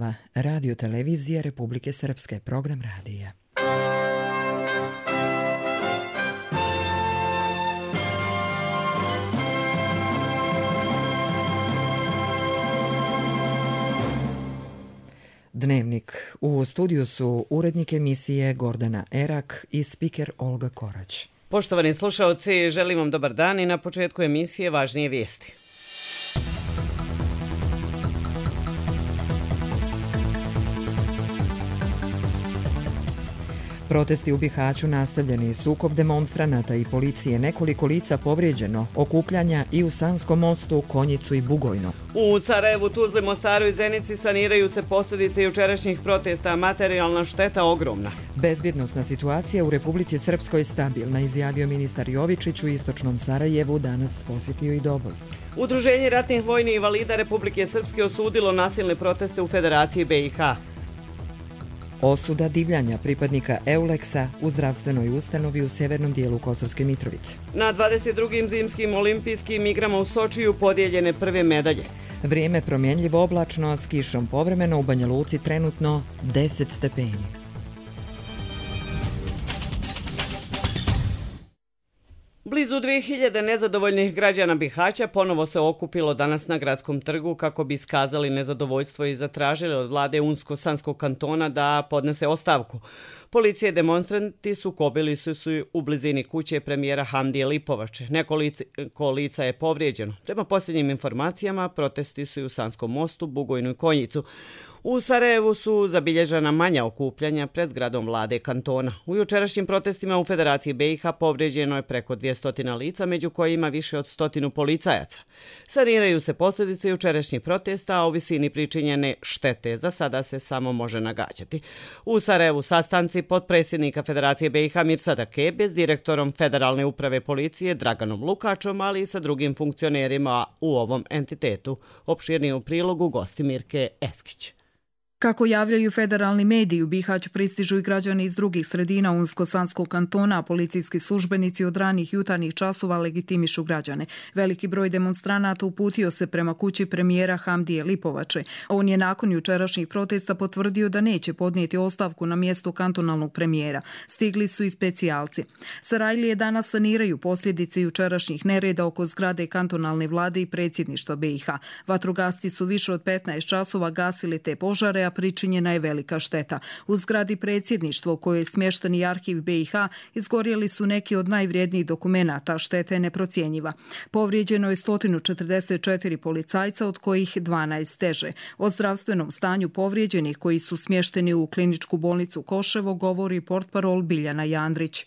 časova. Radio televizije Republike Srpske, program radija. Dnevnik. U studiju su urednik emisije Gordana Erak i spiker Olga Korać. Poštovani slušaoci, želim vam dobar dan i na početku emisije važnije vijesti. Protesti u Bihaću nastavljeni, sukob demonstranata i policije, nekoliko lica povrijeđeno, okupljanja i u Sanskom mostu, Konjicu i Bugojno. U Sarajevu, Tuzli, Mostaru i Zenici saniraju se posljedice jučerašnjih protesta, materijalna šteta ogromna. Bezbjednosna situacija u Republici Srpskoj stabilna, izjavio ministar Jovičić. U istočnom Sarajevu danas posjetio i Doboj. Udruženje ratnih vojnih invalida Republike Srpske osudilo nasilne proteste u Federaciji BiH. Osuda divljanja pripadnika Euleksa u zdravstvenoj ustanovi u severnom dijelu Kosovske Mitrovice. Na 22. zimskim olimpijskim igrama u Sočiju podijeljene prve medalje. Vrijeme promjenljivo oblačno, s kišom povremeno, u Banja Luci trenutno 10 stepeni. Blizu 2000 nezadovoljnih građana Bihaća ponovo se okupilo danas na gradskom trgu kako bi iskazali nezadovoljstvo i zatražili od vlade Unsko-Sanskog kantona da podnese ostavku. Policija i demonstranti sukobili su se u blizini kuće premijera Hamdije Lipovače. Nekoliko lica je povrijeđeno. Prema posljednjim informacijama, protesti su i u Sanskom mostu, Bugojnu i Konjicu. U Sarajevu su zabilježena manja okupljanja pred zgradom vlade kantona. U jučerašnjim protestima u Federaciji BiH povrijeđeno je preko 200 lica, među kojima više od 100 policajaca. Saniraju se posljedice jučerašnjih protesta, a o visini pričinjene štete za sada se samo može nagađati. U Sarajevu sastanci potpredsjednika Federacije BiH Mirsada Kebe s direktorom Federalne uprave policije Draganom Lukačom, ali i sa drugim funkcionerima u ovom entitetu. Opširnije u prilogu gosti Mirke Eskić. Kako javljaju federalni mediji, u Bihać pristižu i građani iz drugih sredina Unsko-Sanskog kantona, a policijski službenici od ranih jutarnjih časova legitimišu građane. Veliki broj demonstranata uputio se prema kući premijera Hamdije Lipovače. On je nakon jučerašnjih protesta potvrdio da neće podnijeti ostavku na mjesto kantonalnog premijera. Stigli su i specijalci. Sarajlije danas saniraju posljedice jučerašnjih nereda oko zgrade kantonalne vlade i predsjedništva BiH. Vatrogasci su više od 15 časova gasili te požare, a pričinjena je velika šteta. U zgradi predsjedništva u kojoj je smješten i arhiv BiH izgorjeli su neki od najvrijednijih dokumenata, šteta je neprocjenjiva. Povrijeđeno je 144 policajca, od kojih 12 teže. O zdravstvenom stanju povrijeđenih koji su smješteni u kliničku bolnicu Koševo govori portparol Biljana Jandrić.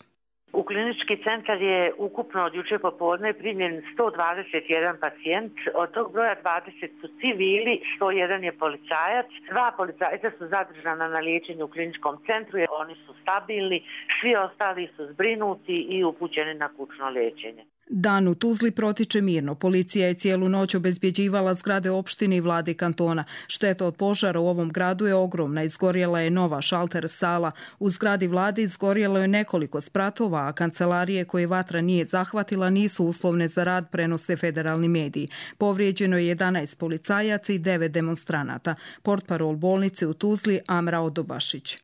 U klinički centar je ukupno od juče popodne primljen 121 pacijent, od tog broja 20 su civili, 101 je policajac, 2 policajca su zadržana na liječenju u kliničkom centru, jer oni su stabilni, svi ostali su zbrinuti i upućeni na kućno liječenje. Dan u Tuzli protiče mirno. Policija je cijelu noć obezbjeđivala zgrade opštine i vlade kantona. Šteta od požara u ovom gradu je ogromna. Izgorjela je nova šalter sala. U zgradi vlade izgorjelo je nekoliko spratova, a kancelarije koje vatra nije zahvatila nisu uslovne za rad, prenose federalni mediji. Povrijeđeno je 11 policajaca i 9 demonstranata. Portparol bolnice u Tuzli Amra Odobašić.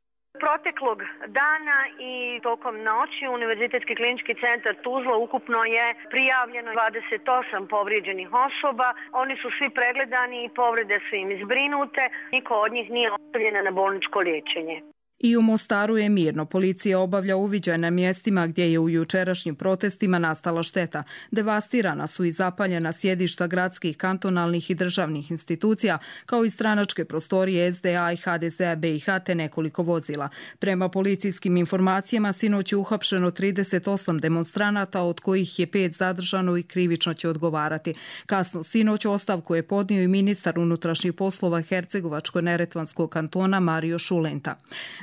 Proteklog dana i tokom noći Univerzitetski klinički centar Tuzla ukupno je prijavljeno 28 povrijeđenih osoba. Oni su svi pregledani i povrede su im izbrinute. Niko od njih nije ostavljen na bolničko liječenje. I u Mostaru je mirno. Policija obavlja uviđaj na mjestima gdje je u jučerašnjim protestima nastala šteta. Devastirana su i zapaljena sjedišta gradskih, kantonalnih i državnih institucija, kao i stranačke prostorije SDA i HDZ-a BiH te nekoliko vozila. Prema policijskim informacijama, sinoć je uhapšeno 38 demonstranata, od kojih je 5 zadržano i krivično će odgovarati. Kasno sinoć ostavku je podnio i ministar unutrašnjih poslova Hercegovačko-neretvanskog kantona Mario Šulenta.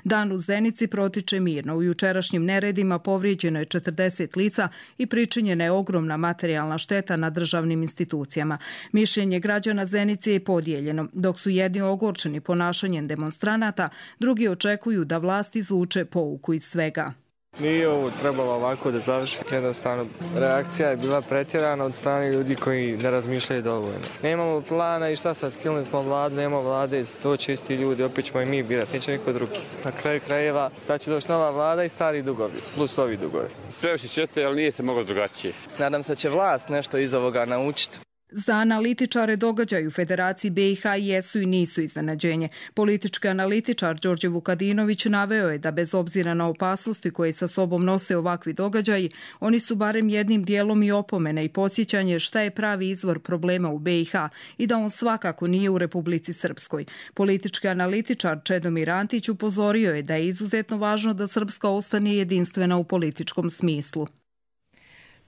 Dan u Zenici protiče mirno. U jučerašnjim neredima povrijeđeno je 40 lica i pričinjena je ogromna materijalna šteta na državnim institucijama. Mišljenje građana Zenice je podijeljeno. Dok su jedni ogorčeni ponašanjem demonstranata, drugi očekuju da vlast izvuče pouku iz svega. Nije ovo trebalo ovako da završi. Jednostavno, reakcija je bila pretjerana od strane ljudi koji ne razmišljaju dovoljno. Nemamo plana i šta sad, skilili smo vladu, nema vlade, doći isti ljudi, opet ćemo i mi birati, neće niko drugi. Na kraju krajeva, sad će doći nova vlada i stari dugovi, plus ovi dugovi. Previše čete, ali nije se moglo drugačije. Nadam se da će vlast nešto iz ovoga naučiti. Za analitičare događaji u Federaciji BiH jesu i nisu iznenađenje. Politički analitičar Đorđe Vukadinović naveo je da bez obzira na opasnosti koje sa sobom nose ovakvi događaji, oni su barem jednim dijelom i opomene i podsjećanje šta je pravi izvor problema u BiH i da on svakako nije u Republici Srpskoj. Politički analitičar Čedomir Antić upozorio je da je izuzetno važno da Srpska ostane jedinstvena u političkom smislu.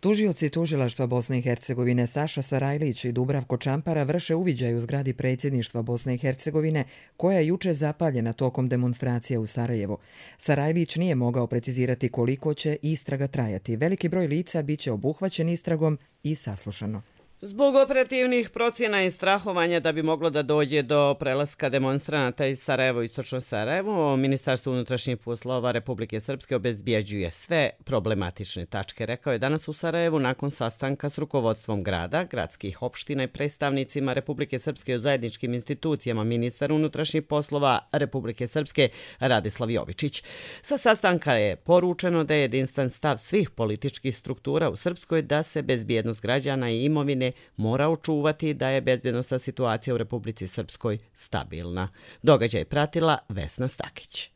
Tužioci tužilaštva Bosne i Hercegovine Saša Sarajlić i Dubravko Čampara vrše uviđaj u zgradi predsjedništva Bosne i Hercegovine, koja je juče zapaljena tokom demonstracija u Sarajevo. Sarajlić nije mogao precizirati koliko će istraga trajati. Veliki broj lica biće obuhvaćen istragom i saslušano. Zbog operativnih procjena i strahovanja da bi moglo da dođe do prelaska demonstranata iz Sarajevo, istočno Sarajevo, Ministarstvo unutrašnjih poslova Republike Srpske obezbjeđuje sve problematične tačke, rekao je danas u Sarajevu nakon sastanka s rukovodstvom grada, gradskih opština i predstavnicima Republike Srpske u zajedničkim institucijama ministar unutrašnjih poslova Republike Srpske Radislav Jovičić. Sa sastanka je poručeno da je jedinstven stav svih političkih struktura u Srpskoj da se bezbjednost građana i imovine mora očuvati, da je bezbjednosna situacija u Republici Srpskoj stabilna. Događaj pratila Vesna Stakić.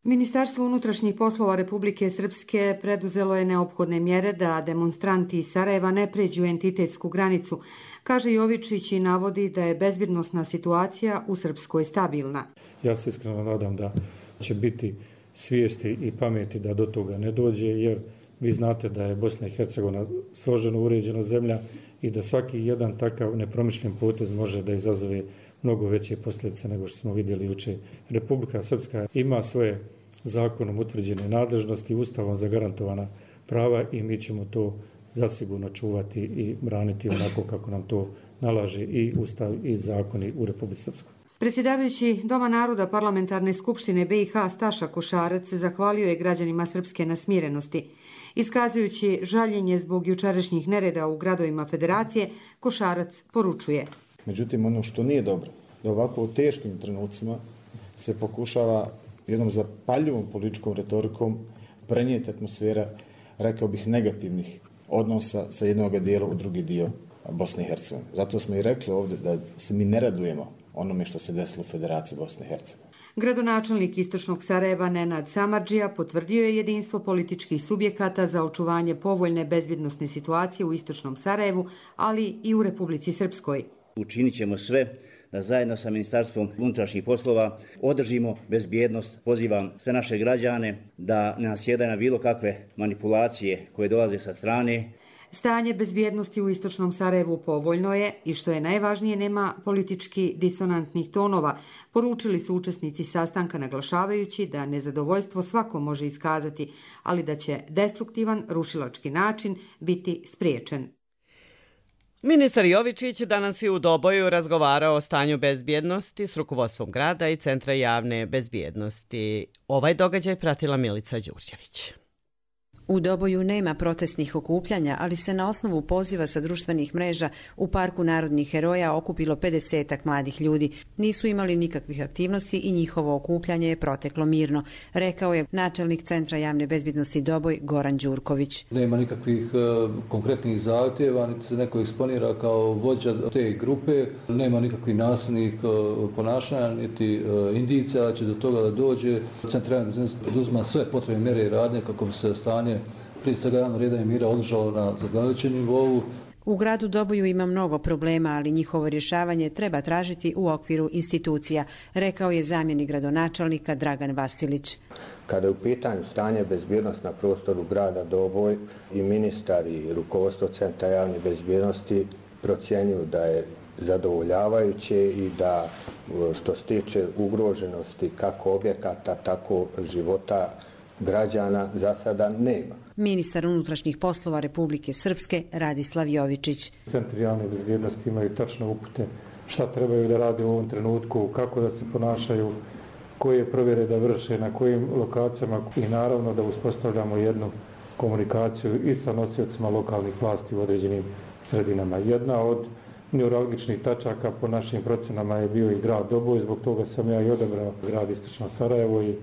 Ministarstvo unutrašnjih poslova Republike Srpske preduzelo je neophodne mjere da demonstranti iz Sarajeva ne pređu entitetsku granicu. Kaže Jovičić i navodi da je bezbjednosna situacija u Srpskoj stabilna. Ja se iskreno nadam da će biti svijesti i pameti da do toga ne dođe, jer vi znate da je Bosna i Hercegovina složeno uređena zemlja i da svaki jedan takav nepromišljen potez može da izazove mnogo veće posljedice nego što smo vidjeli juče. Republika Srpska ima svoje zakonom utvrđene nadležnosti, ustavom zagarantovana prava i mi ćemo to zasigurno čuvati i braniti onako kako nam to nalaže i ustav i zakoni u Republici Srpskoj. Predsjedavajući Doma naroda Parlamentarne skupštine BiH Staša Košarac zahvalio je građanima Srpske na smirenosti. Iskazujući žaljenje zbog jučerašnjih nereda u gradovima Federacije, Košarac poručuje. Međutim, ono što nije dobro, da ovako u teškim trenucima se pokušava jednom zapaljivom političkom retorikom prenijeti atmosfera, rekao bih, negativnih odnosa sa jednog dijela u drugi dio Bosne i Hercegovine. Zato smo i rekli ovdje da se mi ne radujemo onome što se desilo u Federaciji Bosne i Hercegovine. Gradonačelnik istočnog Sarajeva Nenad Samardžija potvrdio je jedinstvo političkih subjekata za očuvanje povoljne bezbjednosne situacije u istočnom Sarajevu, ali i u Republici Srpskoj. Učinit ćemo sve da zajedno sa Ministarstvom unutrašnjih poslova održimo bezbjednost. Pozivam sve naše građane da ne nasjedaju na bilo kakve manipulacije koje dolaze sa strane. Stanje bezbjednosti u istočnom Sarajevu povoljno je i što je najvažnije nema politički disonantnih tonova, poručili su učesnici sastanka naglašavajući da nezadovoljstvo svako može iskazati, ali da će destruktivan rušilački način biti spriječen. Ministar Jovičić danas je u Doboju razgovarao o stanju bezbjednosti s rukovodstvom grada i Centra javne bezbjednosti. Ovaj događaj pratila Milica Đurđević. U Doboju nema protestnih okupljanja, ali se na osnovu poziva sa društvenih mreža u Parku narodnih heroja okupilo 50-ak mladih ljudi. Nisu imali nikakvih aktivnosti i njihovo okupljanje je proteklo mirno, rekao je načelnik Centra javne bezbjednosti Doboj Goran Đurković. Nema nikakvih konkretnih zahtjeva, niti se neko eksponira kao vođa te grupe, nema nikakvih nasilnih ponašanja, niti indicija da će do toga da dođe. Centar javne bezbjednosti poduzima sve potrebne mjere i radnje kako bi se stanje prije svega javnog reda i mira održao na zadovoljavajućem nivou. U gradu Doboju ima mnogo problema, ali njihovo rješavanje treba tražiti u okviru institucija, rekao je zamjenik gradonačelnika Dragan Vasilić. Kada je u pitanju stanje bezbjednosti na prostoru grada Doboj, i ministar i rukovodstvo Centra javne bezbjednosti procjenjuju da je zadovoljavajuće i da što se tiče ugroženosti kako objekata, tako života građana za sada nema. Ministar unutrašnjih poslova Republike Srpske Radislav Jovičić. Centri javne bezbjednosti imaju tačne upute šta trebaju da rade u ovom trenutku, kako da se ponašaju koje provjere da vrše, na kojim lokacijama i naravno da uspostavljamo jednu komunikaciju i sa nosiocima lokalnih vlasti u određenim sredinama. Jedna od neuralgičnih tačaka po našim procenama je bio i grad Doboj, zbog toga sam ja i odabrao grad Istočno Sarajevo i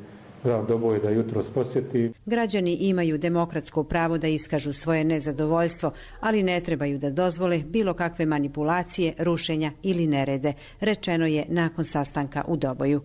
grad Doboj da jutros posjeti. Građani imaju demokratsko pravo da iskažu svoje nezadovoljstvo, ali ne trebaju da dozvole bilo kakve manipulacije, rušenja ili nerede, rečeno je nakon sastanka u Doboju.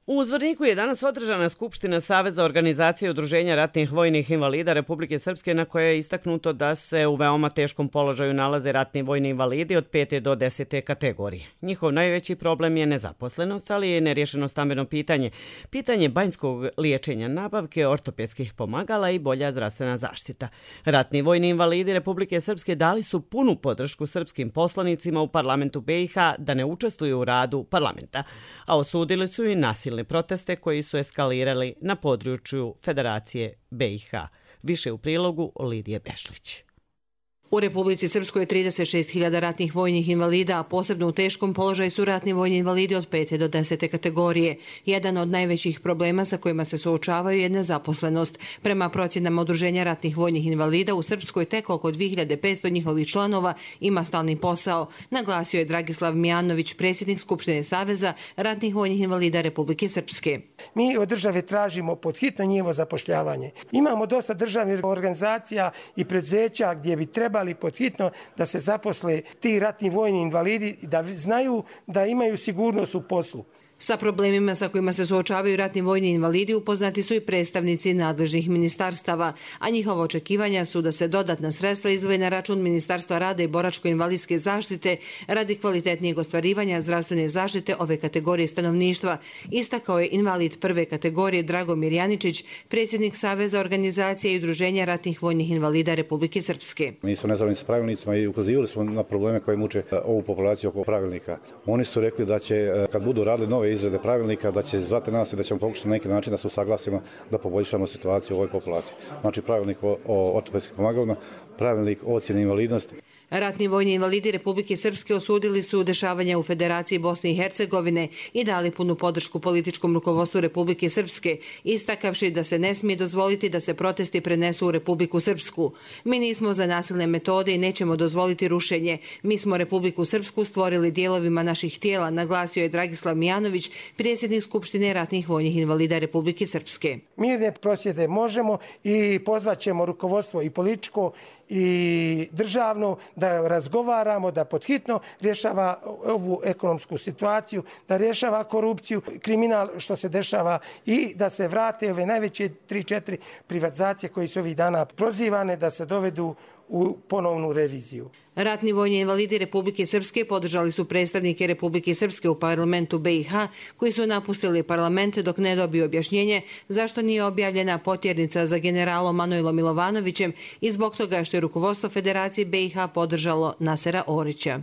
U Zvorniku je danas održana Skupština Saveza organizacije udruženja ratnih vojnih invalida Republike Srpske, na kojoj je istaknuto da se u veoma teškom položaju nalaze ratni vojni invalidi od 5. do 10. kategorije. Njihov najveći problem je nezaposlenost, ali je nerješeno stambeno pitanje, pitanje banjskog liječenja, nabavke ortopedskih pomagala i bolja zdravstvena zaštita. Ratni vojni invalidi Republike Srpske dali su punu podršku srpskim poslanicima u parlamentu BiH da ne učestvuju u radu parlamenta, a osudili su i nasilne proteste koji su eskalirali na području Federacije BiH. Više u prilogu Lidije Bešlić. U Republici Srpskoj je 36.000 ratnih vojnih invalida, a posebno u teškom položaju su ratni vojni invalidi od 5. do 10. kategorije. Jedan od najvećih problema sa kojima se suočavaju je nezaposlenost. Prema procjenama Udruženja ratnih vojnih invalida u Srpskoj tek oko 2500 njihovih članova ima stalni posao, naglasio je Dragislav Mijanović, predsjednik Skupštine Saveza ratnih vojnih invalida Republike Srpske. Mi od države tražimo pod hitno njihovo zapošljavanje. Imamo dosta državnih organizacija i preduzeća gdje bi trebali pod hitno da se zaposle ti ratni vojni invalidi i da znaju da imaju sigurnost u poslu. Sa problemima sa kojima se suočavaju ratni vojni invalidi upoznati su i predstavnici nadležnih ministarstava, a njihova očekivanja su da se dodatna sredstva izdvoje na račun Ministarstva rada i boračko-invalidske zaštite radi kvalitetnijeg ostvarivanja zdravstvene zaštite ove kategorije stanovništva, istakao je invalid prve kategorije Dragomir Janičić, predsjednik Saveza organizacije i udruženja ratnih vojnih invalida Republike Srpske. Mi smo nezadovoljni s pravilnicima i ukazivali smo na probleme koje muče ovu populaciju oko pravilnika. Oni su rekli da će, kad budu radili nove izrade pravilnika, da će zvati nas i da ćemo pokušati na neki način da se usaglasimo da poboljšamo situaciju u ovoj populaciji. Znači pravilnik o ortopedskim pomagalima, pravilnik o ocjeni invalidnosti. Ratni vojni invalidi Republike Srpske osudili su dešavanja u Federaciji Bosne i Hercegovine i dali punu podršku političkom rukovodstvu Republike Srpske, istakavši da se ne smije dozvoliti da se protesti prenesu u Republiku Srpsku. Mi nismo za nasilne metode i nećemo dozvoliti rušenje. Mi smo Republiku Srpsku stvorili dijelovima naših tijela, naglasio je Dragislav Mijanović, predsjednik Skupštine ratnih vojnih invalida Republike Srpske. Mirne prosvjede možemo i pozvaćemo rukovodstvo i političko i državno da razgovaramo, da pod hitno rješava ovu ekonomsku situaciju, da rješava korupciju, kriminal što se dešava i da se vrate ove najveće 3-4 privatizacije koje su ovih dana prozivane da se dovedu u ponovnu reviziju. Ratni vojni invalidi Republike Srpske podržali su predstavnike Republike Srpske u parlamentu BiH koji su napustili parlament dok ne dobiju objašnjenje zašto nije objavljena potjernica za generalom Manojlom Milovanovićem i zbog toga što je rukovodstvo Federacije BiH podržalo Nasera Orića.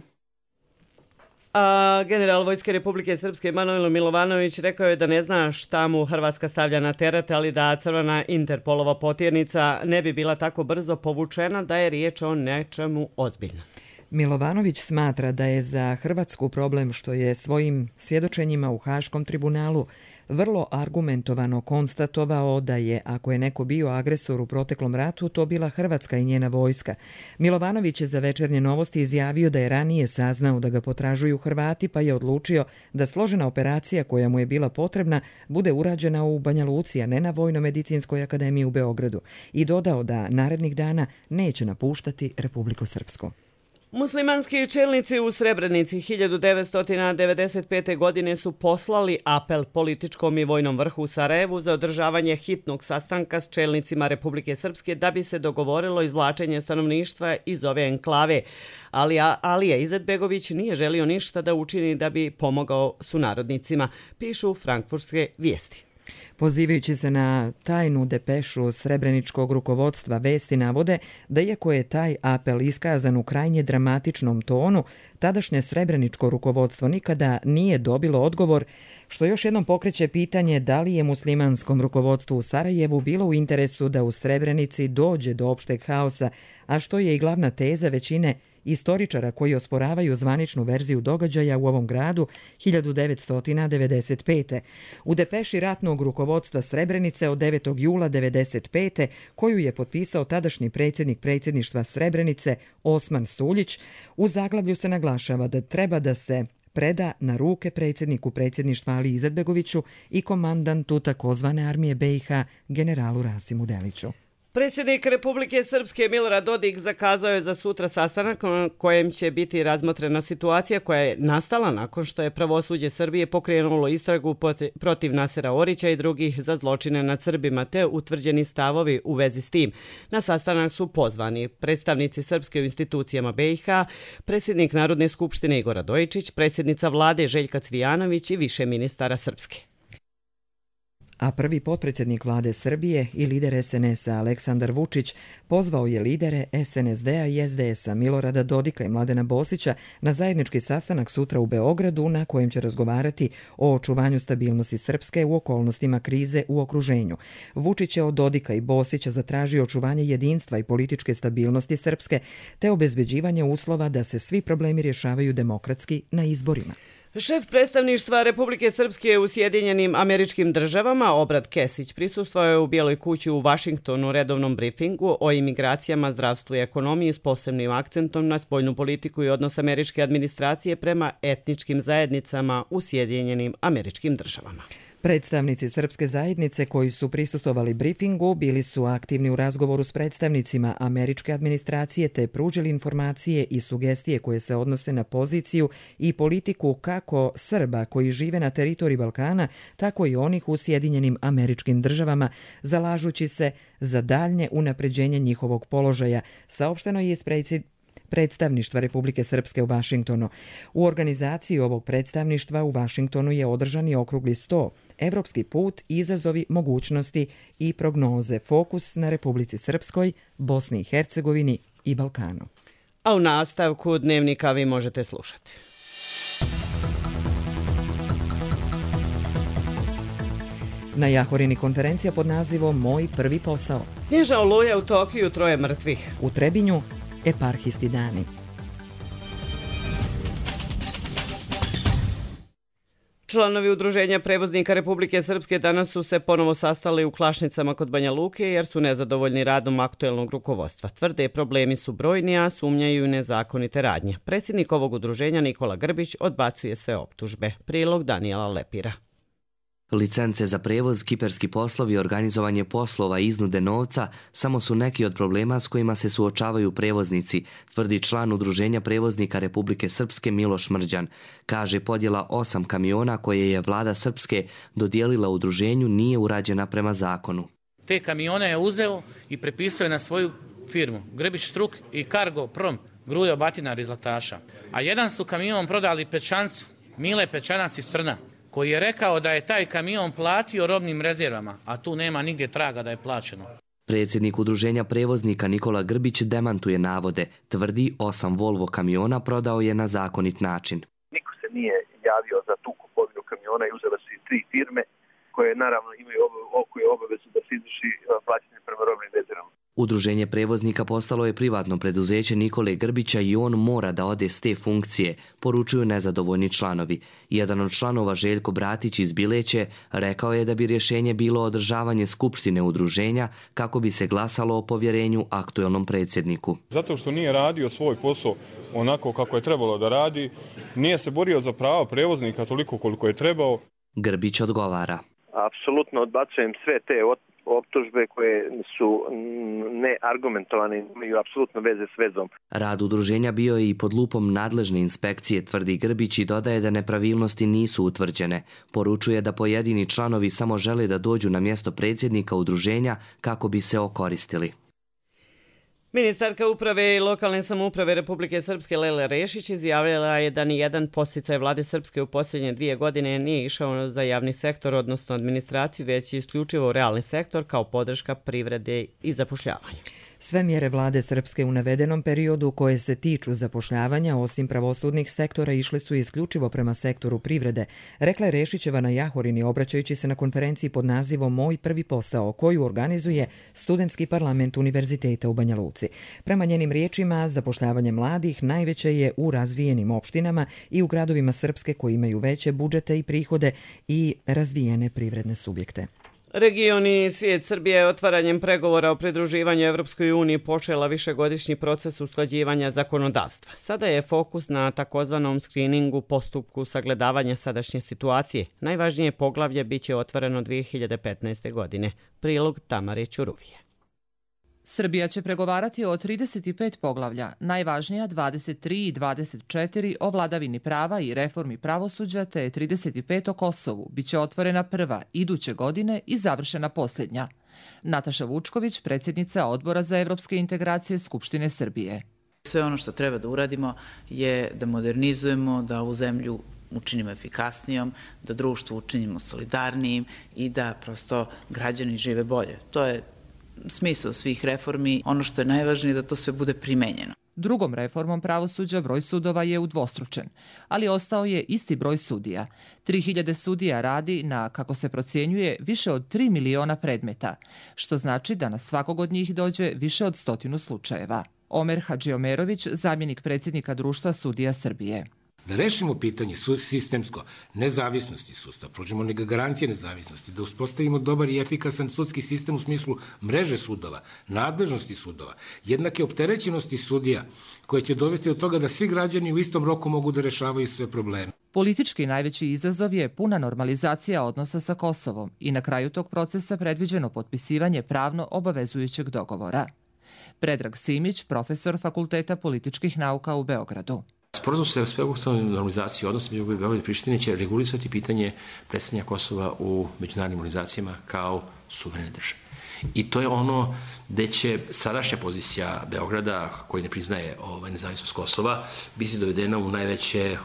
A general Vojske Republike Srpske Manojlo Milovanović rekao je da ne zna šta mu Hrvatska stavlja na teret, ali da crvena Interpolova potjernica ne bi bila tako brzo povučena da je riječ o nečemu ozbiljnom. Milovanović smatra da je za Hrvatsku problem što je svojim svjedočenjima u Haškom tribunalu vrlo argumentovano konstatovao da je, ako je neko bio agresor u proteklom ratu, to bila Hrvatska i njena vojska. Milovanović je za Večernje novosti izjavio da je ranije saznao da ga potražuju Hrvati, pa je odlučio da složena operacija koja mu je bila potrebna bude urađena u Banja Luci, a ne na Vojno-medicinskoj akademiji u Beogradu, i dodao da narednih dana neće napuštati Republiku Srpsku. Muslimanski čelnici u Srebrenici 1995. godine su poslali apel političkom i vojnom vrhu u Sarajevu za održavanje hitnog sastanka s čelnicima Republike Srpske da bi se dogovorilo izvlačenje stanovništva iz ove enklave. Ali Alija Izetbegović nije želio ništa da učini da bi pomogao sunarodnicima, pišu frankfurtske vijesti. Pozivajući se na tajnu depešu srebreničkog rukovodstva, vesti navode da iako je taj apel iskazan u krajnje dramatičnom tonu, tadašnje srebreničko rukovodstvo nikada nije dobilo odgovor, što još jednom pokreće pitanje da li je muslimanskom rukovodstvu u Sarajevu bilo u interesu da u Srebrenici dođe do opšteg haosa, a što je i glavna teza većine istoričara koji osporavaju zvaničnu verziju događaja u ovom gradu 1995. U depeši ratnog rukovodstva Srebrenice od 9. jula 1995. koju je potpisao tadašnji predsjednik predsjedništva Srebrenice Osman Suljić, u zaglavlju se naglašava da treba da se preda na ruke predsjedniku predsjedništva Aliji Izetbegoviću i komandantu takozvane armije BiH generalu Rasimu Deliću. Predsjednik Republike Srpske Milorad Dodik zakazao je za sutra sastanak na kojem će biti razmotrena situacija koja je nastala nakon što je pravosuđe Srbije pokrenulo istragu protiv Nasera Orića i drugih za zločine nad Srbima te utvrđeni stavovi u vezi s tim. Na sastanak su pozvani predstavnici Srpske u institucijama BiH, predsjednik Narodne skupštine Igor Radojičić, predsjednica vlade Željka Cvijanović i više ministara Srpske. A prvi potpredsjednik vlade Srbije i lider SNS-a Aleksandar Vučić pozvao je lidere SNSD-a i SDS-a Milorada Dodika i Mladena Bosića na zajednički sastanak sutra u Beogradu na kojem će razgovarati o očuvanju stabilnosti Srpske u okolnostima krize u okruženju. Vučić je od Dodika i Bosića zatražio očuvanje jedinstva i političke stabilnosti Srpske te obezbeđivanje uslova da se svi problemi rješavaju demokratski na izborima. Šef predstavništva Republike Srpske u Sjedinjenim Američkim Državama, Obrad Kesić, prisustvovao je u Bijeloj kući u Vašingtonu redovnom brifingu o imigracijama, zdravstvu i ekonomiji s posebnim akcentom na spoljnu politiku i odnos američke administracije prema etničkim zajednicama u Sjedinjenim Američkim Državama. Predstavnici srpske zajednice koji su prisustvovali brifingu bili su aktivni u razgovoru s predstavnicima američke administracije te pružili informacije i sugestije koje se odnose na poziciju i politiku kako Srba koji žive na teritoriji Balkana, tako i onih u Sjedinjenim Američkim Državama, zalažući se za daljnje unapređenje njihovog položaja, saopšteno je iz predstavništva Republike Srpske u Vašingtonu. U organizaciji ovog predstavništva u Vašingtonu je održan i okrugli sto. Evropski put, izazovi, mogućnosti i prognoze. Fokus na Republici Srpskoj, Bosni i Hercegovini i Balkanu. A u nastavku dnevnika vi možete slušati. Na Jahorini konferencija pod nazivom Moj prvi posao. Snježna oluja u Tokiju, 3 mrtvih. U Trebinju eparhijski dani. Članovi Udruženja prevoznika Republike Srpske danas su se ponovo sastali u Klašnicama kod Banja Luke jer su nezadovoljni radom aktuelnog rukovodstva. Tvrde problemi su brojni, a sumnjaju nezakonite radnje. Predsjednik ovog udruženja Nikola Grbić odbacuje sve optužbe. Prilog Danijela Lepira. Licence za prevoz, kiperski poslovi, organizovanje poslova i iznude novca samo su neki od problema s kojima se suočavaju prevoznici, tvrdi član Udruženja prevoznika Republike Srpske Miloš Mrđan. Kaže, podjela 8 kamiona koje je vlada Srpske dodijelila udruženju nije urađena prema zakonu. Te kamione je uzeo i prepisao je na svoju firmu, Grbić Struk i Cargo Prom, Grujo Batinar iz Laktaša. A jedan su kamion prodali Pečancu, Mile Pečanac iz Trna, koji je rekao da je taj kamion platio robnim rezervama, a tu nema nigdje traga da je plaćeno. Predsjednik Udruženja prevoznika Nikola Grbić demantuje navode. Tvrdi 8 Volvo kamiona prodao je na zakonit način. Niko se nije javio za tu kupovinu kamiona i uzela se 3 firme koje naravno imaju obavezu da se izvrši plaćanje prema robnim rezervama. Udruženje prevoznika postalo je privatno preduzeće Nikole Grbića i on mora da ode s te funkcije, poručuju nezadovoljni članovi. Jedan od članova, Željko Bratić iz Bileće, rekao je da bi rješenje bilo održavanje skupštine udruženja kako bi se glasalo o povjerenju aktuelnom predsjedniku. Zato što nije radio svoj posao onako kako je trebalo da radi, nije se borio za prava prevoznika toliko koliko je trebao. Grbić odgovara. Apsolutno odbacujem sve te optužbe koje su neargumentovane, imaju apsolutno veze s vezom. Rad udruženja bio je i pod lupom nadležne inspekcije, tvrdi Grbić i dodaje da nepravilnosti nisu utvrđene. Poručuje da pojedini članovi samo žele da dođu na mjesto predsjednika udruženja kako bi se okoristili. Ministarka uprave i lokalne samouprave Republike Srpske Lela Rešić izjavila je da nijedan podsticaj vlade Srpske u posljednje 2 godine nije išao za javni sektor, odnosno administraciju, već isključivo realni sektor kao podrška privrede i zapošljavanju. Sve mjere vlade Srpske u navedenom periodu koje se tiču zapošljavanja osim pravosudnih sektora išle su isključivo prema sektoru privrede, rekla je Rešićeva na Jahorini obraćajući se na konferenciji pod nazivom Moj prvi posao, koju organizuje Studentski parlament Univerziteta u Banja Luci. Prema njenim riječima, zapošljavanje mladih najveće je u razvijenim opštinama i u gradovima Srpske koji imaju veće budžete i prihode i razvijene privredne subjekte. Region i svijet Srbije otvaranjem pregovora o pridruživanju Evropskoj uniji počela višegodišnji proces usklađivanja zakonodavstva. Sada je fokus na takozvanom skriningu, postupku sagledavanja sadašnje situacije. Najvažnije poglavlje biće otvoreno 2015. godine. Prilog Tamare Ćuruvije. Srbija će pregovarati o 35 poglavlja, najvažnija 23 i 24 o vladavini prava i reformi pravosuđa, te 35 o Kosovu, biće otvorena prva iduće godine i završena posljednja. Nataša Vučković, predsjednica Odbora za evropske integracije Skupštine Srbije. Sve ono što treba da uradimo je da modernizujemo, da ovu zemlju učinimo efikasnijom, da društvo učinimo solidarnijim i da prosto građani žive bolje. To je smisao svih reformi. Ono što je najvažnije da to sve bude primenjeno. Drugom reformom pravosuđa broj sudova je udvostručen, ali ostao je isti broj sudija. 3000 sudija radi na, kako se procjenjuje, više od 3 miliona predmeta, što znači da na svakog od njih dođe više od 100 slučajeva. Omer Hadžiomerović, zamjenik predsjednika Društva sudija Srbije. Da rešimo pitanje sistemsko nezavisnosti sudstva, pružimo garancije nezavisnosti, da uspostavimo dobar i efikasan sudski sistem u smislu mreže sudova, nadležnosti sudova, jednake opterećenosti sudija, koje će dovesti do toga da svi građani u istom roku mogu da rešavaju sve probleme. Politički najveći izazov je puna normalizacija odnosa sa Kosovom i na kraju tog procesa predviđeno potpisivanje pravno obavezujućeg dogovora. Predrag Simić, profesor Fakulteta političkih nauka u Beogradu. Sporazum sa sveobuhvatnom normalizacijom odnosa među Beograda i Prištine će regulisati pitanje predstavljanja Kosova u međunarodnim organizacijama kao suverene države. I to je ono gde će sadašnja pozicija Beograda, koji ne priznaje nezavisnost Kosova, biti dovedena u najveće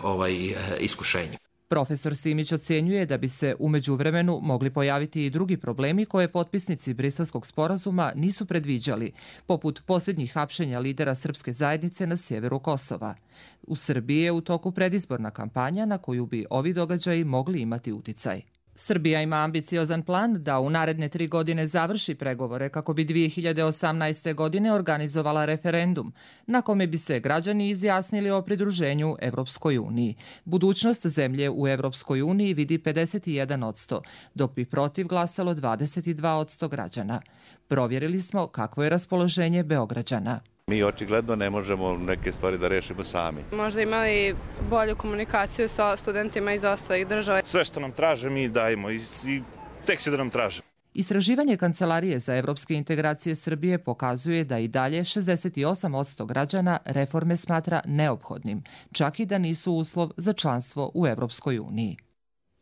iskušenje. Profesor Simić ocjenjuje da bi se u međuvremenu mogli pojaviti i drugi problemi koje potpisnici Briselskog sporazuma nisu predviđali, poput posljednjih hapšenja lidera srpske zajednice na sjeveru Kosova. U Srbiji je u toku predizborna kampanja na koju bi ovi događaji mogli imati uticaj. Srbija ima ambiciozan plan da u naredne 3 godine završi pregovore kako bi 2018. godine organizovala referendum, na kome bi se građani izjasnili o pridruženju Evropskoj uniji. Budućnost zemlje u Evropskoj uniji vidi 51%, dok bi protiv glasalo 22% građana. Provjerili smo kakvo je raspoloženje Beograđana. Mi očigledno ne možemo neke stvari da rešimo sami. Možda imali bolju komunikaciju sa studentima iz ostalih država. Sve što nam traže mi dajemo i tek će da nam traže. Istraživanje Kancelarije za evropske integracije Srbije pokazuje da i dalje 68% građana reforme smatra neophodnim, čak i da nisu uslov za članstvo u Evropskoj uniji.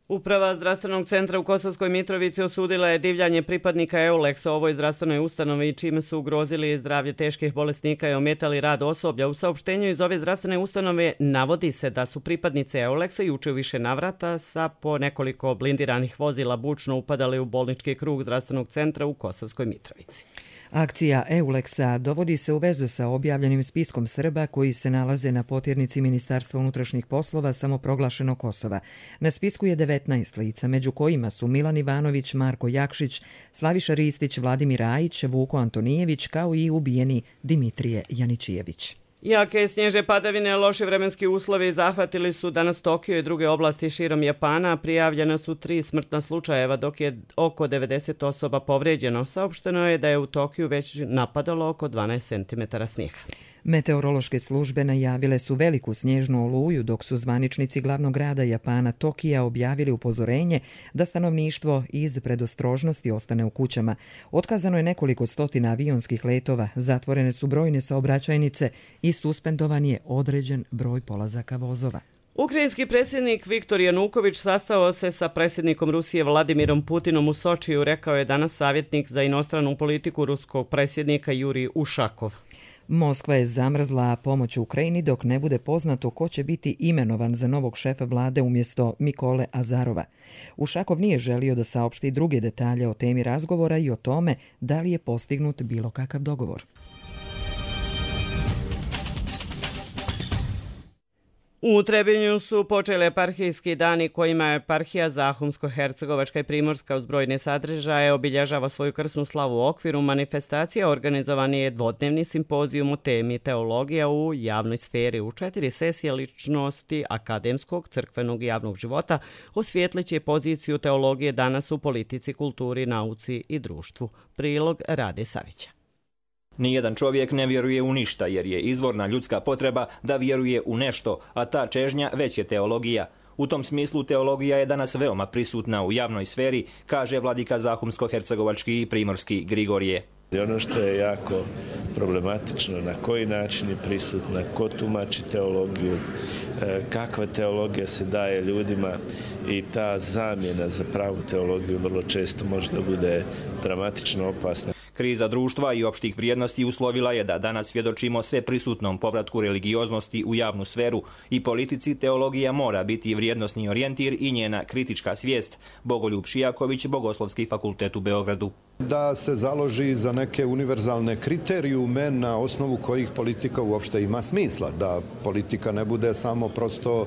Uprava zdravstvenog centra u Kosovskoj Mitrovici osudila je divljanje pripadnika EULEX-a u ovoj zdravstvenoj ustanovi, čime su ugrozili zdravlje teških bolesnika i ometali rad osoblja. U saopštenju iz ove zdravstvene ustanove navodi se da su pripadnice EULEX-a juče u više navrata sa po nekoliko blindiranih vozila bučno upadali u bolnički krug zdravstvenog centra u Kosovskoj Mitrovici. Akcija EULEX-a dovodi se u vezu sa objavljenim spiskom Srba koji se nalaze na potirnici Ministarstva unutrašnjih poslova samoproglašenog Kosova. Na spisku je 19 lica, među kojima su Milan Ivanović, Marko Jakšić, Slaviša Ristić, Vladimir Ajić, Vuko Antonijević, kao i ubijeni Dimitrije Janičijević. Jake snježne padavine, loši vremenski uslovi zahvatili su danas Tokio i druge oblasti širom Japana. Prijavljena su 3 smrtna slučajeva, dok je oko 90 osoba povređeno. Saopšteno je da je u Tokiju već napadalo oko 12 cm snijega. Meteorološke službe najavile su veliku snježnu oluju, dok su zvaničnici glavnog grada Japana Tokija objavili upozorenje da stanovništvo iz predostrožnosti ostane u kućama. Otkazano je nekoliko stotina avionskih letova, zatvorene su brojne saobraćajnice i suspendovan je određen broj polazaka vozova. Ukrajinski predsjednik Viktor Januković sastao se sa predsjednikom Rusije Vladimirom Putinom u Sočiju, rekao je danas savjetnik za inostranu politiku ruskog predsjednika Jurij Ušakov. Moskva je zamrzla pomoć Ukrajini dok ne bude poznato ko će biti imenovan za novog šefa vlade umjesto Mikole Azarova. Ušakov nije želio da saopšti druge detalje o temi razgovora i o tome da li je postignut bilo kakav dogovor. U Trebinju su počeli eparhijski dani kojima je eparhija Zahumsko-Hercegovačka i Primorska uz brojne sadržaje obilježava svoju krsnu slavu u okviru manifestacija. Organizovan je dvodnevni simpozijum o temi teologija u javnoj sferi. U 4 sesije ličnosti akademskog, crkvenog i javnog života osvijetliće poziciju teologije danas u politici, kulturi, nauci i društvu. Prilog Rade Savića. Nijedan čovjek ne vjeruje u ništa jer je izvorna ljudska potreba da vjeruje u nešto, a ta čežnja već je teologija. U tom smislu teologija je danas veoma prisutna u javnoj sferi, kaže vladika Zahumsko-Hercegovački i Primorski Grigorije. I ono što je jako problematično, na koji način je prisutna, ko tumači teologiju, kakva teologija se daje ljudima i ta zamjena za pravu teologiju vrlo često može da bude dramatično opasna. Kriza društva i opštih vrijednosti uslovila je da danas svjedočimo sve prisutnom povratku religioznosti u javnu sferu i politici teologija mora biti vrijednosni orijentir i njena kritička svijest. Bogoljub Šijaković, Bogoslovski fakultet u Beogradu. Da se založi za neke univerzalne kriterijume na osnovu kojih politika uopšte ima smisla. Da politika ne bude samo prosto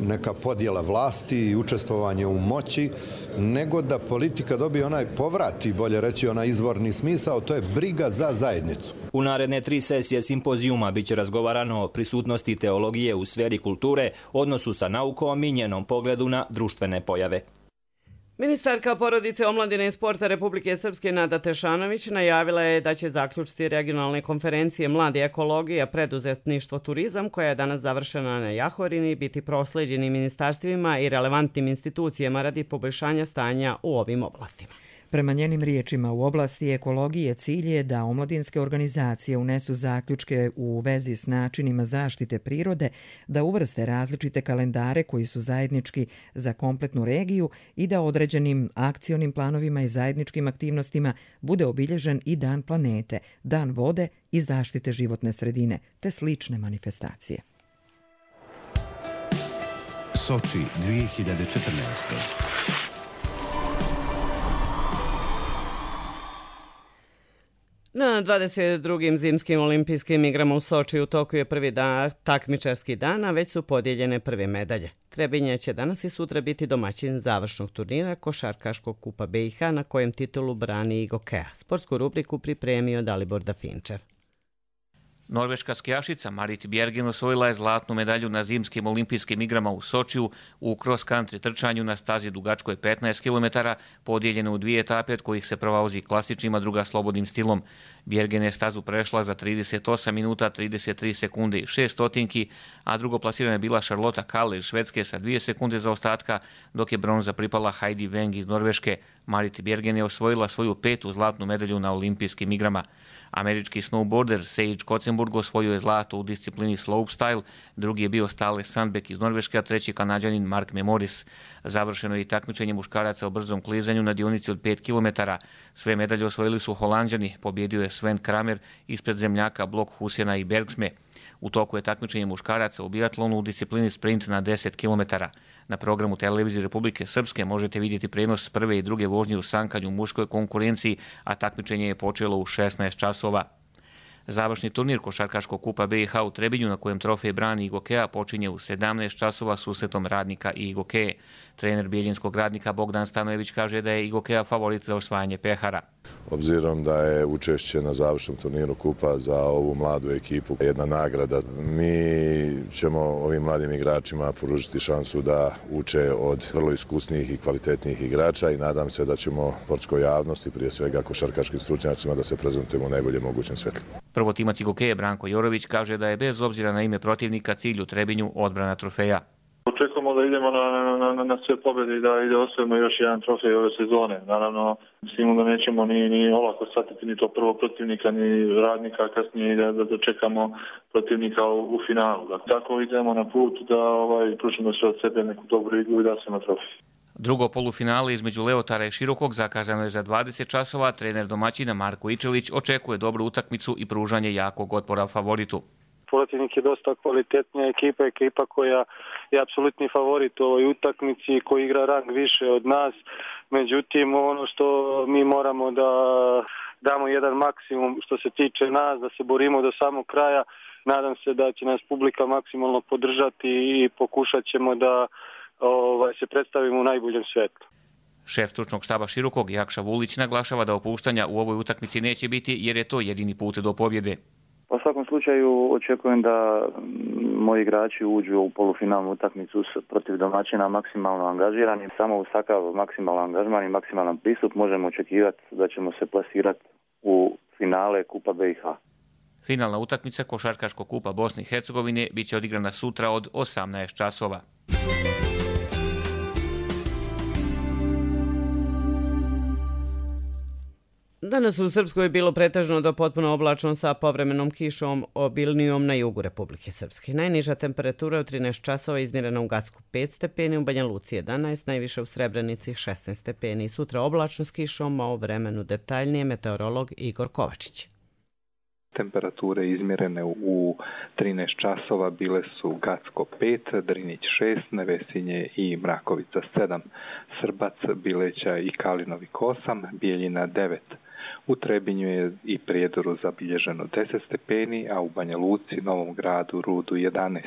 neka podjela vlasti i učestvovanje u moći, nego da politika dobije onaj povrat i bolje reći onaj izvorni smisao, to je briga za zajednicu. U naredne 3 sesije simpozijuma biće razgovarano o prisutnosti teologije u sferi kulture, odnosu sa naukom i njenom pogledu na društvene pojave. Ministarka porodice, omladine i sporta Republike Srpske Nada Tešanović najavila je da će zaključci regionalne konferencije Mladi ekologija, preduzetništvo, turizam, koja je danas završena na Jahorini, biti prosleđeni ministarstvima i relevantnim institucijama radi poboljšanja stanja u ovim oblastima. Prema njenim riječima, u oblasti ekologije cilj je da omladinske organizacije unesu zaključke u vezi s načinima zaštite prirode, da uvrste različite kalendare koji su zajednički za kompletnu regiju i da određenim akcionim planovima i zajedničkim aktivnostima bude obilježen i Dan planete, Dan vode i zaštite životne sredine, te slične manifestacije. Soči 2014. Na 22. zimskim olimpijskim igrama u Soči u toku je prvi takmičarski dan, a već su podijeljene prve medalje. Trebinje će danas i sutra biti domaćin završnog turnira Košarkaškog kupa BiH na kojem titulu brani IGOKEA. Sportsku rubriku pripremio Dalibor Dafinčev. Norveška skijašica Marit Bjergen osvojila je zlatnu medalju na zimskim olimpijskim igrama u Sočiju u cross-country trčanju na stazi dugačkoj 15 km, podijeljeno u 2 etape od kojih se prva vozi klasičnim, a druga slobodnim stilom. Bjergen je stazu prešla za 38 minuta, 33 sekunde i 6 stotinki, a drugo plasirana je bila Charlotta Kalle iz Švedske sa 2 sekunde zaostatka, dok je bronza pripala Heidi Weng iz Norveške. Marit Bjergen je osvojila svoju 5. zlatnu medalju na olimpijskim igrama. Američki snowboarder Sage Kotzenburg osvojio je zlato u disciplini slopestyle, drugi je bio Stale Sandbeck iz Norveške, a treći Kanađanin Mark Memoris. Završeno je i takmičenje muškaraca o brzom klizanju na dionici od 5 km. Sve medalje osvojili su Holanđani, pobjedio je Sven Kramer ispred zemljaka Blokhusena i Bergsme. U toku je takmičenje muškaraca u biatlonu u disciplini sprint na 10 km. Na programu Televizije Republike Srpske možete vidjeti prenos prve i druge vožnje u sankanju u muškoj konkurenciji, a takmičenje je počelo u 16 časova. Završni turnir Košarkaškog kupa BiH u Trebinju, na kojem trofej brani IGOKEA, počinje u 17 časova susretom Radnika i IGOKEA. Trener bijeljinskog Radnika Bogdan Stanojević kaže da je IGOKEA favorit za osvajanje pehara. Obzirom da je učešće na završnom turniru kupa za ovu mladu ekipu jedna nagrada, mi ćemo ovim mladim igračima pružiti šansu da uče od vrlo iskusnijih i kvalitetnijih igrača i nadam se da ćemo sportskoj javnosti, prije svega košarkaškim stručnjacima, da se prezentujemo u najboljem mogućem svetlu. Prvotimac IGOKEA Branko Jorović kaže da je bez obzira na ime protivnika cilj u Trebinju odbrana trofeja. Očekujemo da idemo na sve pobjede i da osvojimo još jedan trofej ove sezone. Naravno, mislimo da nećemo ni olako shvatiti ni to prvo protivnika, ni Radnika, kasnije da dočekamo protivnika u finalu. Tako idemo na put da pružimo sve od sebe neku dobru igru i da se na trofej. Drugo polufinale između Leotara i Širokog zakazano je za 20 časova. Trener domaćina Marko Ičelić očekuje dobru utakmicu i pružanje jakog otpora favoritu. Protivnik je dosta kvalitetnija ekipa koja je apsolutni favorit u ovoj utakmici, koji igra rang više od nas. Međutim, ono što mi moramo da damo jedan maksimum što se tiče nas, da se borimo do samog kraja nadam se da će nas publika maksimalno podržati i pokušat ćemo da se predstavimo u najboljem svetlu. Šef stručnog štaba Širokog Jakša Vulić naglašava da opuštanja u ovoj utakmici neće biti jer je to jedini put do pobjede. U svakom slučaju očekujem da moji igrači uđu u polufinalnu utakmicu protiv domaćina maksimalno angažirani. Samo uz takav maksimalan angažman i maksimalan pristup možemo očekivati da ćemo se plasirati u finale Kupa BiH. Finalna utakmica Košarkaškog kupa Bosne i Hercegovine biće odigrana sutra od 18 časova. Danas u Srpskoj je bilo pretežno do potpuno oblačno sa povremenom kišom obilnijom na jugu Republike Srpske. Najniža temperatura u 13 časova izmjerena u Gacku 5 stepeni, u Banja Luci 11, najviše u Srebrenici 16 stepeni. Sutra oblačno s kišom, a o vremenu detaljnije meteorolog Igor Kovačić. Temperature izmjerene u 13 časova bile su Gacko 5, Drinić 6, Nevesinje i Mrakovica 7, Srbac, Bileća i Kalinovik 8, Bijeljina 9. U Trebinju je i Prijedoru zabilježeno 10 stepeni, a u Banja Luci, Novom Gradu, Rudu 11.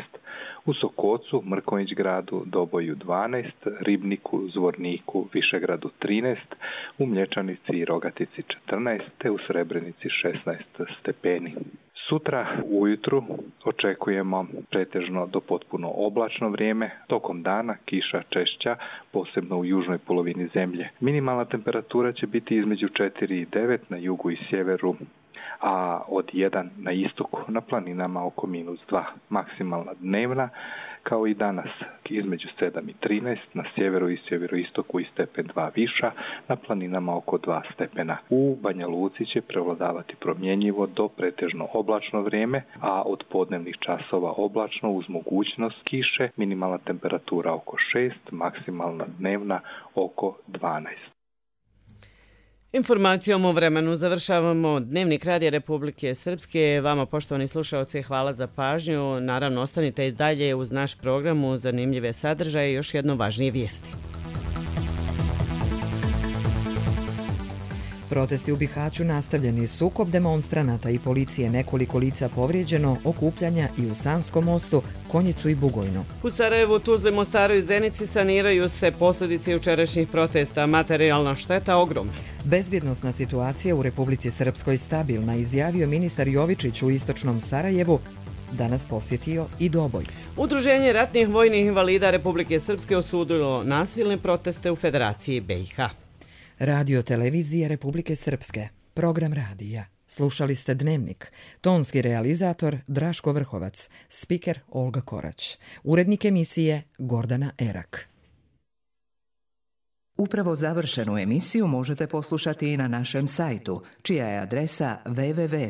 U Sokocu, Mrkonjić Gradu, Doboju 12, Ribniku, Zvorniku, Višegradu 13, u Mlječanici i Rogatici 14, te u Srebrenici 16 stepeni. Sutra ujutru očekujemo pretežno do potpuno oblačno vrijeme, tokom dana kiša češća, posebno u južnoj polovini zemlje. Minimalna temperatura će biti između 4 i 9 na jugu i sjeveru, a od 1 na istoku, na planinama oko -2. Maksimalna dnevna, kao i danas, između 7 i 13, na sjeveru i sjeveroistoku i stepen 2 viša, na planinama oko 2 stepena. U Banja Luci će prevladavati promjenjivo do pretežno oblačno vrijeme, a od podnevnih časova oblačno uz mogućnost kiše, minimalna temperatura oko 6, maksimalna dnevna oko 12. Informacijom o vremenu završavamo Dnevnik Radija Republike Srpske. Vama, poštovani slušaoci, hvala za pažnju. Naravno, ostanite i dalje uz naš program u zanimljive sadržaje i još jedno važnije vijesti. Protesti u Bihaću nastavljeni, sukob demonstranata i policije, nekoliko lica povrijeđeno, okupljanja i u Sanskom mostu, Konjicu i Bugojnu. U Sarajevu, Tuzli, Mostaru i Zenici saniraju se posljedice jučerašnjih protesta, materijalna šteta ogromna. Bezbjednosna situacija u Republici Srpskoj stabilna, izjavio ministar Jovičić u istočnom Sarajevu, danas posjetio i Doboj. Udruženje ratnih vojnih invalida Republike Srpske osudilo nasilne proteste u Federaciji BiH. Radio televizije Republike Srpske, program radija. Slušali ste Dnevnik. Tonski realizator Draško Vrhovac, spiker Olga Korać. Urednik emisije Gordana Erak. Upravo završenu emisiju možete poslušati i na našem sajtu, čija je adresa www.rtrs.tv.